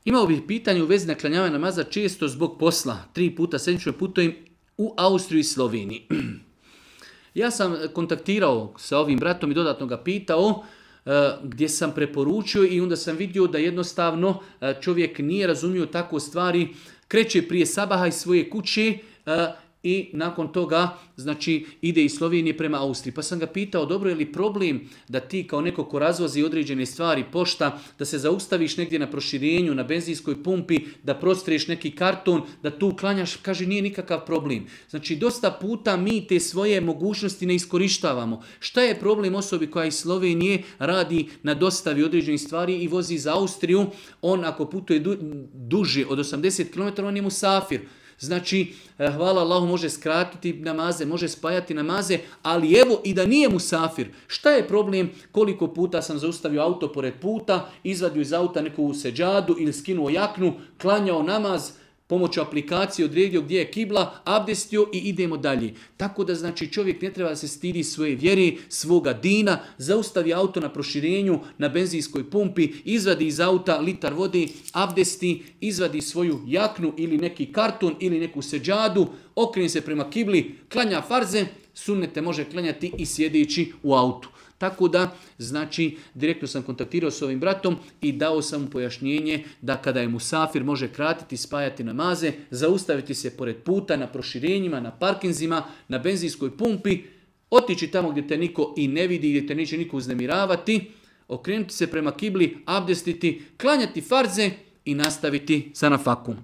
Imao bih pitanje u vezi naklanjavanja namaza često zbog posla. 3 puta sedmično putujem u Austriju i Sloveniji. Ja sam kontaktirao sa ovim bratom i dodatno ga pitao gdje sam preporučio i onda sam vidio da jednostavno čovjek nije razumio tako stvari, kreće prije sabaha iz svoje kuće i nakon toga znači ide iz Slovenije prema Austriji. Pa sam ga pitao, dobro, je li problem da ti kao neko ko razvozi određene stvari, pošta, da se zaustaviš negdje na proširenju, na benzinskoj pumpi, da prostreš neki karton, da tu klanjaš, kaže nije nikakav problem. Znači dosta puta mi te svoje mogućnosti ne iskorištavamo. Šta je problem osobi koja iz Slovenije radi na dostavi određenih stvari i vozi za Austriju, on ako putuje duže od 80 km, on je musafir. Znači, hvala Allahu, može skratiti namaze, može spajati namaze, ali evo i da nije musafir. Šta je problem? Koliko puta sam zaustavio auto pored puta, izvadio iz auta neku seđadu ili skinuo jaknu, klanjao namaz, pomoću aplikacije odredio gdje je kibla, abdestio i idemo dalje. Tako da znači čovjek ne treba da se stidi svoje vjere, svoga dina, zaustavi auto na proširenju, na benzinskoj pumpi, izvadi iz auta litar vode, abdesti, izvadi svoju jaknu ili neki karton ili neku seđadu, okrene se prema kibli, klanja farze, sunnete može klanjati i sjedeći u autu. Tako da, znači, direktno sam kontaktirao s ovim bratom i dao sam mu pojašnjenje da kada je musafir može kratiti, spajati namaze, zaustaviti se pored puta, na proširenjima, na parkinzima, na benzinskoj pumpi, otići tamo gdje te niko i ne vidi, gdje te neće niko uznemiravati, okrenuti se prema kibli, abdestiti, klanjati farze i nastaviti sa nafakom.